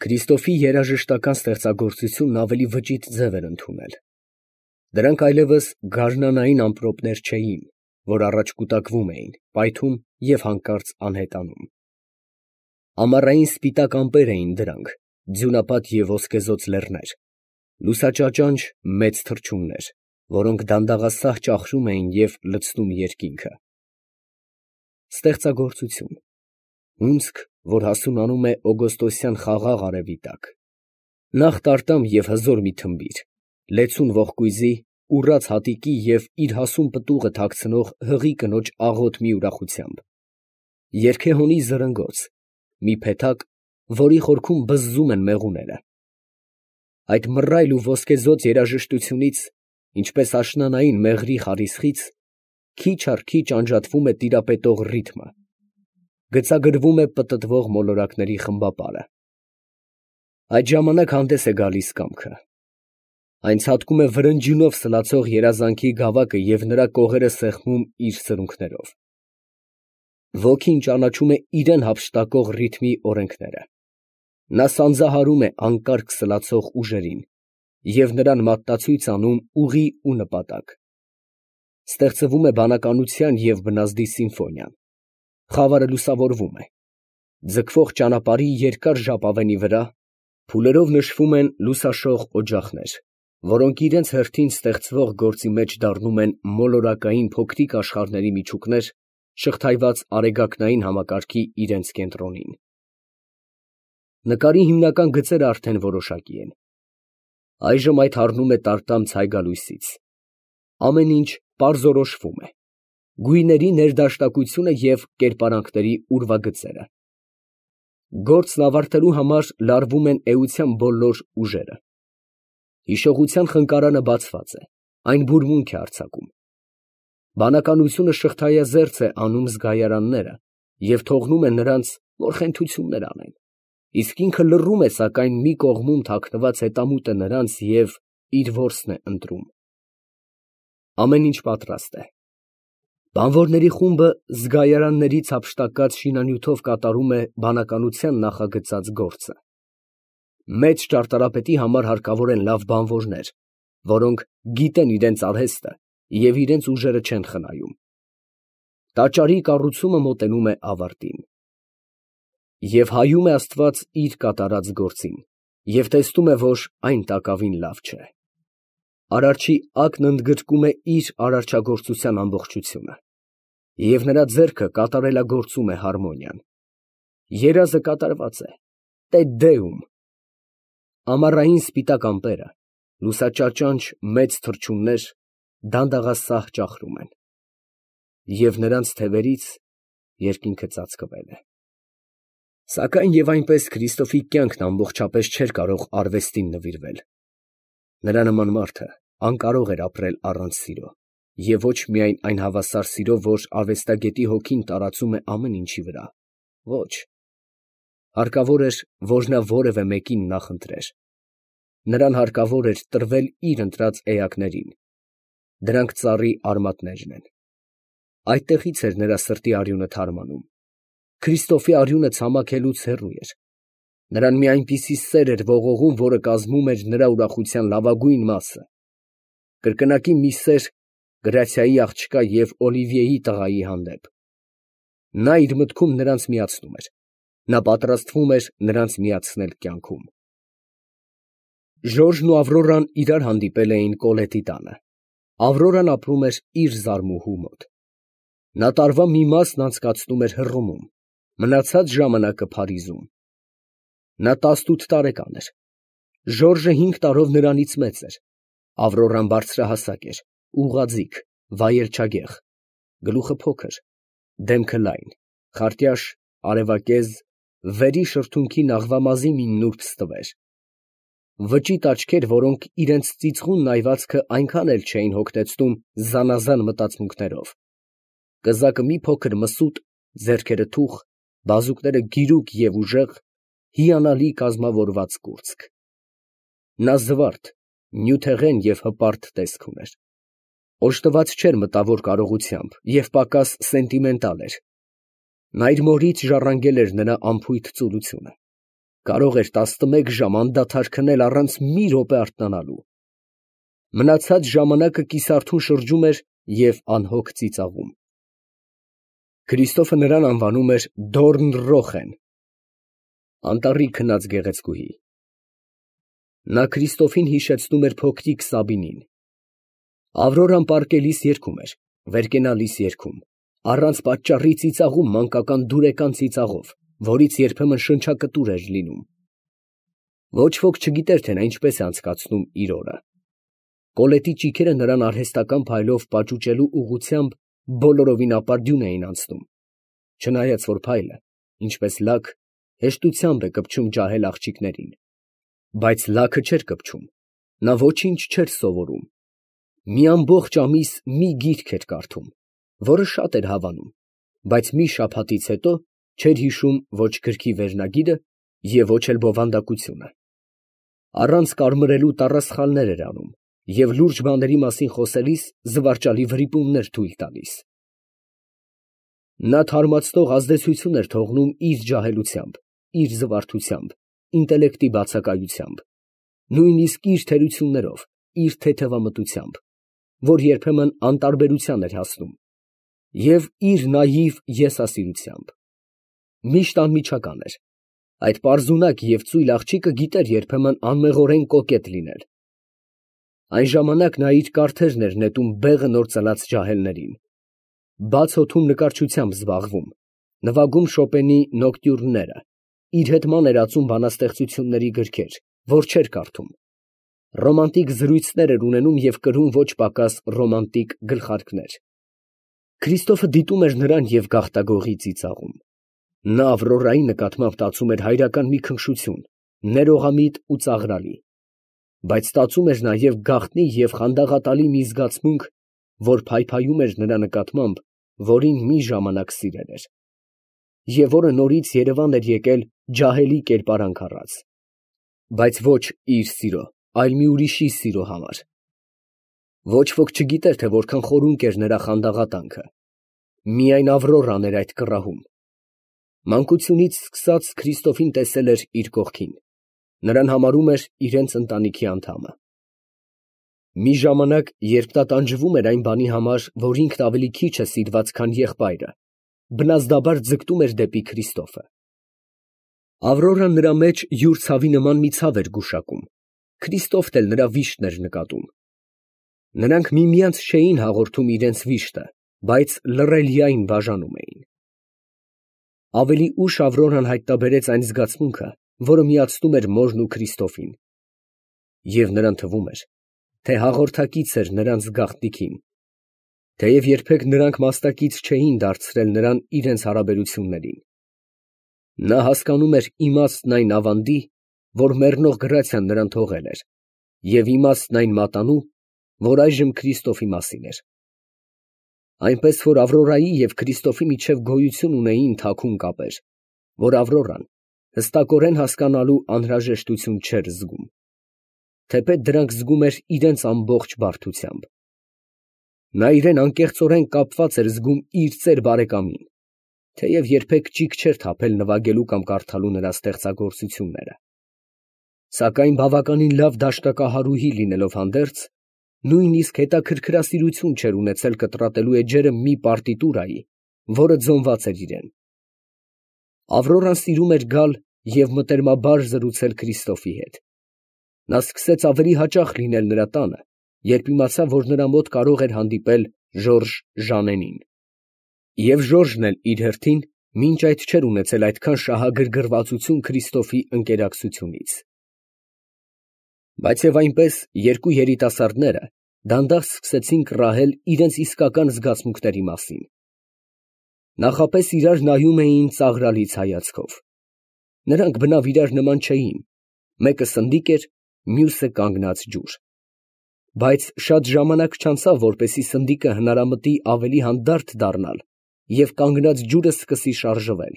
Քրիստոֆի երաժշտական ստեղծագործությունն ավելի վճիտ ձև էր ընդունել. դրանք այլևս գարնանային ամպրոպներ չէին, որ առաջ կուտակվում էին, պայթում և հանկարծ անհետանում. ամառային սպիտակ ամպեր էին դրանք, ձյունապատ և ոսկեզօծ լեռներ, լուսաճաճանճ մեծ թռչուններ, որոնք դանդաղասահ ճախրում էին և լցնում երկինքը։ Ստեղծագործություն, հունձք, որ հասունանում է օգոստոսյան խաղաղ արևի տակ, նախ տարտամ և հզոր մի թմբիր, լեցուն ողկույզի, ուռած հատիկի և իր հասուն պտուղը թաքցնող հղի կնոջ աղոտ մի ուրախությամբ, երգեհոնի զրնգոց, մի փեթակ, որի խորքում բզզում են մեղուները։ Այդ մռայլ ու ոսկեզօծ երաժշտությունից, ինչպես աշնանային մեղրի խարիսխից, քիչ առ քիչ անջատվում է տիրապետող ռիթմը, գծագրվում է պտտվող մոլորակների խմբապարը։ Այդ ժամանակ հանդես է գալիս կամքը։ Այն ցատկում է վրնջյունով սլացող երազանքի գավակը և նրա կողերը սեղմում իր սրունքներով։ Ոգին ճանաչում է իրան հափշտակող ռիթմի օրենքները։ Նա սանձահարում է անկարգ սլացող ուժերին և նրան մատնացույց անում ուղի ու նպատակ։ Ստեղծվում է բանականության և բնազդի սիմֆոնիան, խավարը լուսավորվում է, ձգվող ճանապարհի երկար ժապավենի վրա փուլերով նշվում են լուսաշող օջախներ, որոնք իրենց հերթին ստեղծվող գործի մեջ դառնում են մոլորակային փոքրիկ աշխարհների միջուկներ, շղթայված արեգակնային համակարգի իրենց կենտրոնին։ Նկարի հիմնական գծերը արդեն որոշակի են։ Այժմ այդ առնում է տարտամ ցայգալույսից։ Ամեն ինչ պարզորոշվում է, գույների ներդաշնակությունը և կերպարանքների ուրվագծերը։ Գործն ավարտելու համար լարվում են էության բոլոր ուժերը։ Հիշողության խնկարանը բացված է, այն բուրմունք է արձակում։ Բանականությունը շղթայազերծ է անում զգայարանները և թողնում է նրանց, որ խենթություններ անեն, իսկ ինքը լռում է, սակայն մի կողմում թաքնված հետամուտ է նրանց և իր որսն է ընտրում։ Ամեն ինչ պատրաստ է։ Բանվորների խումբը զգայարաններից հափշտակած շինանյութով կատարում է բանականության նախագծած գործը։ Մեծ ճարտարապետի համար հարկավոր են լավ բանվորներ, որոնք գիտեն իրենց արհեստը և իրենց ուժերը չեն խնայում։ Տաճարի կառուցումը մոտենում է ավարտին։ Եվ հայում է Աստված իր կատարած գործին և տեսնում է, որ այն տակավին լավ չէ։ Արարչի ակն ընդգրկում է իր արարչագործության ամբողջությունը, և նրա ձեռքը կատարելագործում է հարմոնիան։ Երազը կատարված է, Տե Դեում։ Ամառային սպիտակ ամպերը, լուսաճաճանճ մեծ թռչուններ դանդաղասահ ճախրում են, և նրանց թևերից երկինքը ծածկվել է։ Սակայն և այնպես Քրիստոֆի կյանքն ամբողջապես չէր կարող արվեստին նվիրվել։ Նրա նման մարդը անկարող էր ապրել առանց սիրո, և ոչ միայն այն հավասար սիրո, որ արվեստագետի հոգին տարածում է ամեն ինչի վրա, ոչ. հարկավոր էր, որ նա որևէ մեկին նախընտրեր։ Նրան հարկավոր էր տրվել իր ընտրած էակներին։ Դրանք ծառի արմատներն են։ Այդտեղից էր նրա սրտի արյունը թարմանում։ Քրիստոֆի արյունը ցամաքելուց հեռու էր։ Նրան մի այնպիսի սեր էր ողողում, որը կազմում էր նրա ուրախության լավագույն մասը։ Կրկնակի մի սեր Գրացիայի աղջկա և Օլիվիեի տղայի հանդեպ։ Նա իր մտքում նրանց միացնում էր։ Նա պատրաստվում էր նրանց միացնել կյանքում։ Ժորժն ու Ավրորան իրար հանդիպել էին Կոլետի տանը։ Ավրորան ապրում էր իր զարմուհու մոտ։ Նա տարվա մի մասն անցկացնում էր Հռոմում, մնացած ժամանակը Փարիզում։ Նա 18 տարեկան էր։ Ժորժը 5 տարով նրանից մեծ էր։ Ավրորան բարձրահասակ էր, ուղղաձիգ, վայելչագեղ, գլուխը փոքր, դեմքը լայն, խարտյաշ, արևակեզ, վերի շրթունքին աղվամազի մի նուրբ ստվեր։ Վճիտ աչքեր, որոնք իրենց ծիծղուն նայվածքը այնքան էլ չէին հոգնեցնում զանազան մտածմունքներով։ Կզակը մի փոքր մսուտ, ձեռքերը թուխ, բազուկները գիրուկ և ուժեղ, հիանալի կազմավորված կուրծք։ Նա զվարթ, նյութեղեն և հպարտ տեսք ուներ։ Օժտված չէր մտավոր կարողությամբ և պակաս սենտիմենտալ էր։ Նա իր մորից ժառանգել էր նրա անփույթ ծուլությունը։ կարող էր 11 ժամ անդադար քնել առանց մի րոպե արթնանալու։ Մնացած ժամանակը կիսարթուն շրջում էր և անհոգ ծիծաղում։ Քրիստոֆը նրան անվանում էր Դորնռոխեն, անտառի քնած գեղեցկուհի։ Նա Քրիստոֆին հիշեցնում էր փոքրիկ Սաբինին։ Ավրորան պառկելիս երգում էր, վեր կենալիս երգում, առանց պատճառի ծիծաղում մանկական դուրեկան ծիծաղով, որից երբեմն շնչակտուր էր լինում։ Ոչ ոք չգիտեր, թե նա ինչպես է անցկացնում իր օրը։ Կոլետի ճիգերը նրան արհեստական փայլով պաճուճելու ուղղությամբ բոլորովին ապարդյուն էին անցնում, չնայած որ փայլը, ինչպես լաք, հեշտությամբ է կպչում ջահել աղջիկներին, բայց լաքը չէր կպչում, նա ոչինչ չէր սովորում։ Մի ամբողջ ամիս մի գիրք էր կարդում, որը շատ էր հավանում, բայց մի շաբաթից հետո չէր հիշում ոչ գրքի վերնագիրը և ոչ էլ բովանդակությունը։ Առանց կարմրելու տառասխալներ էր անում և լուրջ բաների մասին խոսելիս զվարճալի վրիպումներ թույլ տալիս։ Նա թարմացնող ազդեցություն էր թողնում իր ջահելությամբ, իր զվարթությամբ, ինտելեկտի բացակայությամբ, նույնիսկ իր թերություններով, իր թեթևամտությամբ, որ երբեմն անտարբերության էր հասնում, և իր նաիվ եսասիրությամբ։ Միշտ անմիջական էր, այդ պարզունակ և ծույլ աղջիկը գիտեր երբեմն անմեղորեն կոկետ լինել։ Այն ժամանակ նա իր կարթերն էր նետում բեղը նոր ծլած ջահելներին, բաց օդում նկարչությամբ զբաղվում, նվագում Շոպենի նոկտյուրնները, իր հետ ման էր ածում բանաստեղծությունների գրքեր, որ չէր կարդում, ռոմանտիկ զրույցներ էր ունենում և կրում ոչ պակաս ռոմանտիկ գլխարկներ։ Քրիստոֆը դիտում էր նրան և գաղտագողի ծիծաղում։ Նա Ավրորայի նկատմամբ տածում էր հայրական մի քնքշություն, ներողամիտ ու ծաղրալի, բայց տածում էր նաև գաղտնի և խանդաղատալի մի զգացմունք, որ փայփայում էր նրա նկատմամբ, որին մի ժամանակ սիրել էր, և որը նորից երևան էր եկել ջահելի կերպարանք առած, բայց ոչ իր սիրո, այլ մի ուրիշի սիրո համար։ Ոչ ոք չգիտեր, թե որքան խորունկ էր նրա խանդաղատանքը, միայն Ավրորան էր այդ կռահում։ Մանկությունից սկսած Քրիստոֆին տեսել էր իր կողքին, նրան համարում էր իրենց ընտանիքի անդամը։ Մի ժամանակ, երբ նա տանջվում էր այն բանի համար, որ ինքն ավելի քիչ է սիրված, քան եղբայրը, բնազդաբար ձգտում էր դեպի Քրիստոֆը։ Ավրորան նրա մեջ յուր ցավի նման մի ցավ էր գուշակում, Քրիստոֆն էլ նրա վիշտն էր նկատում։ Նրանք միմյանց չէին հաղորդում իրենց վիշտը, բայց լռելիային բաժանում էին։ Ավելի ուշ Ավրորան հայտնաբերեց այն զգացմունքը, որը միացնում էր մորն ու Քրիստոֆին, և նրան թվում էր, թե հաղորդակից էր նրանց գաղտնիքին, թեև երբեք նրանք մասնակից չէին դարձրել նրան իրենց հարաբերություններին։ Նա հասկանում էր իմաստն այն ավանդի, որ մեռնող Գրացիան նրան թողել էր, և իմաստն այն մատանու, որ այժմ Քրիստոֆի մասին էր։ Այնպես որ Ավրորայի և Քրիստոֆի միջև գոյություն ունեին թաքուն կապեր, որ Ավրորան հստակորեն հասկանալու անհրաժեշտություն չէր զգում, թեպետ դրանք զգում էր իրենց ամբողջ բարդությամբ։ Նա իրեն անկեղծորեն կապված էր զգում իր ծեր բարեկամին, թեև երբեք ճիգ չէր թափել նվագելու կամ կարդալու նրա ստեղծագործությունները։ Սակայն բավականին լավ դաշտակահարուհի լինելով հանդերձ, նույնիսկ հետաքրքրասիրություն չէր ունեցել կտրատելու էջերը մի պարտիտուրայի, որը ձոնված էր իրեն։ Ավրորան սիրում էր գալ և մտերմաբար զրուցել Քրիստոֆի հետ։ Նա սկսեց ավելի հաճախ լինել նրա տանը, երբ իմացավ, որ նրա մոտ կարող էր հանդիպել Ժորժ Ժանենին։ Եվ Ժորժն էլ իր հերթին մինչ այդ չէր ունեցել այդքան շահագրգռվածություն Քրիստոֆի ընկերակցությունից։ Բայց և այնպես երկու երիտասարդները դանդաղ սկսեցին կռահել իրենց իսկական զգացմունքների մասին։ Նախապես իրար նայում էին ծաղրալից հայացքով։ Նրանք բնավ իրար նման չէին, մեկը սնդիկ էր, մյուսը կանգնած ջուր։ Բայց շատ ժամանակ չանցավ, որպեսզի սնդիկը հնարամտի ավելի հանդարտ դառնալ և կանգնած ջուրը սկսի շարժվել։